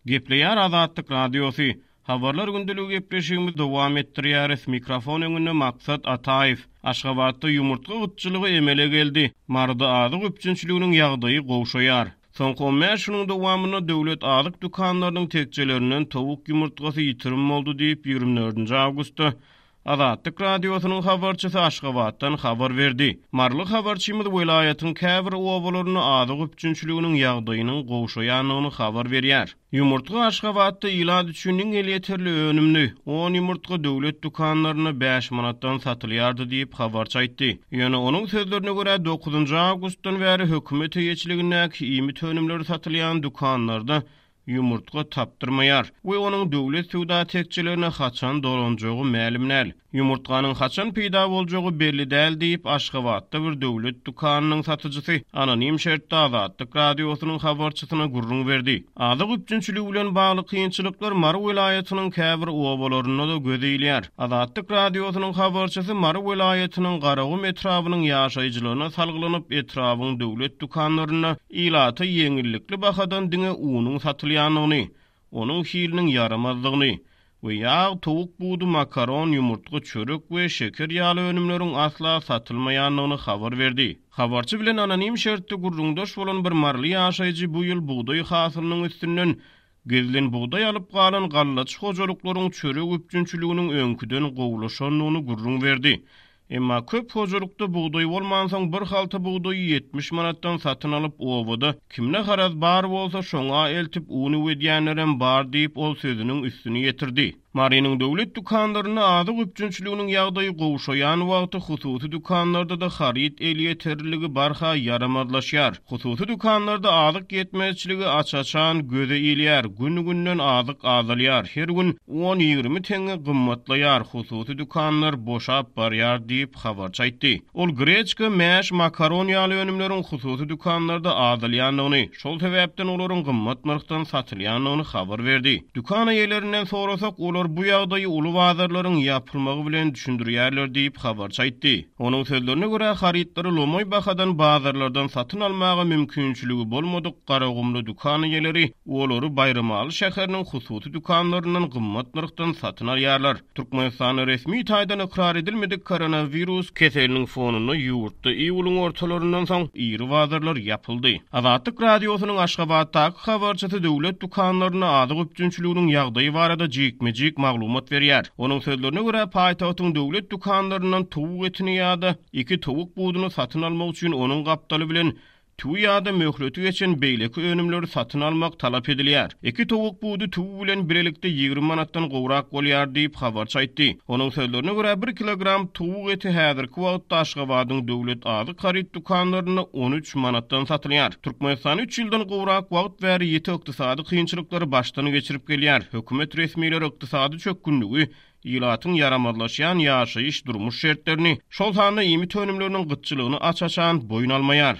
Gepleýär Azatlyk Radiosy. Habarlar gündeligi gepleşigimizi dowam etdirýäris. Mikrofon öňünde Maksat Ataýew. Aşgabatda ýumurtga gytçylygy emele geldi. Maryda azyk üpjünçiliginiň ýagdaýy gowşaýar. Soňky on bäş günüň dowamynda döwlet azyk dükanlarynyň tekjelerinden towuk ýumurtgasy ýitirim boldy diýip, ýigrimi dördünji awgustda Azatlyk Radiosynyň habarçysy Aşgabatdan habar berdi. Maryly habarçymyz welaýatyň käbir obalarynda azyk üpjünçiliginiň ýagdaýynyň gowşaýandygyny habar berýär. Ýumurtga Aşgabatda ilat üçin iň elýeterli önümdi. On ýumurtga döwlet dükanlarynda bäş manatdan satylýardy diýip, habarçy aýtdy. Ýöne onuň sözlerine görä, dokuzynjy awgustdan bäri hökümet eýeçiligindäki iýmit önümleri satylýan dükanlarda ýumurtga tapdyrmaýar we onuň döwlet söwda tekjelerine haçan dolanjagy mälim däl. Ýumurtganyň haçan peýda boljagy belli däl diýip, Aşgabatda bir döwlet dükanynyň satyjysy anonim şertde Azatlyk Radiosynyň habarçysyna gürrüň berdi. Azyk üpjünçiligi bilen bagly kynçylyklar Mary welaýatynyň käbir obalarynda-da göze ilýär. Azatlyk Radiosynyň habarçysy Mary welaýatynyň Garagum etrabynyň ýaşaýjylaryna salgylanyp, etrabyň döwlet dükanlarynda Ilata ýeňillikli bahadan diňe unuň satylýandygyny, onuň hiliniň ýaramazdygyny we ýag, towuk budy, makaron, ýumurtga, çörek we şeker ýaly önümleriň asla satylmaýandygyny habar berdi. Habarçy bilen anonim şertde gürrüňdeş bolan bir maryly ýaşaýjy bu ýyl bugdaý hasylynyň üstünden Gizlin bugdaý alyp galan gallaçy hojalyklaryň çörek üpjünçiliginiň öňküden gowulaşandygyny gürrüň berdi. Emma köp hojalykda bugdaý bolmansoň bir halta bugdaýy 70 manatdan satyn alyp obada kimde haraz bar bolsa şoňa eltip un üwedýänlerem bar diýip ol sözüniň üstüni ýetirdi. Marynyň döwlet dükanlarynda azyk üpjünçiliginiň ýagdaýy gowşaýan wagty hususy dükanlarda-da haryt elýeterliligi barha ýaramazlaşýar. Hususy dükanlarda azyk ýetmezçiligi aç-açan göze ilýär, gün-günden azyk azalýar, her gün on-ýigrimi teňňe gymmatlaýar, hususy dükanlar boşap barýar diýip, habarçy aýtdy. Ol greçka, mäş, makaron ýaly önümleriň hususy dükanlarda azalýandygyny, şol sebäpden olaryň gymmat nyrhdan satylýandygyny habar berdi. Dükan eýelerinden sorasak, olar bu ýagdaýy uly bazarlaryň ýapylmagy bilen düşündirýärler diýip, habarçy aýtdy. Onuň sözlerine görä, harytlary lomaý bahadan bazarlardan satyn almaga mümkinçiligi bolmadyk garagumly dükan eýeleri olary Baýramaly şäheriniň hususy dükanlaryndan gymmat nyrhdan satyn alýarlar. Türkmenistanda resmi taýdan ykrar edilmedik koronawirus keseliniň fonunda ýurtda iýulyň ortalaryndan soň iri bazarlar ýapyldy. Azatlyk Radiosynyň Aşgabatdaky habarçysy döwlet dükanlarynda azyk üpjünçiliginiň ýagdaýy barada jikme-jik maglumat berýär. Onuň sözlerine görä, paýtagtyň döwlet dükanlaryndan towuk etini ýa-da iki towuk buduny satyn almak üçin onuň gapdaly bilen Tüwi ýa-da möhleti geçen beýleki önümleri satyn almak talap edilýär. Iki towuk budy tüwi bilen bilelikde 20 manatdan gowrak bolýar diýip, habarçy aýtdy. Onuň sözlerine görä, bir kilogram towuk eti häzirki wagtda Aşgabadyň döwlet azyk haryt dükanlarynda 13 manatdan satylýar. Türkmenistan üç ýyldan gowrak wagt bäri ýiti ykdysady kynçylyklary başdan geçirip gelýär. Hökümet resmileri ykdysady çökgünligi, ilatyň ýaramazlaşýan ýaşaýyş-durmuş şertlerini, şol sanda iýmit önümleriniň gytçylygyny aç-açan boýun almaýar.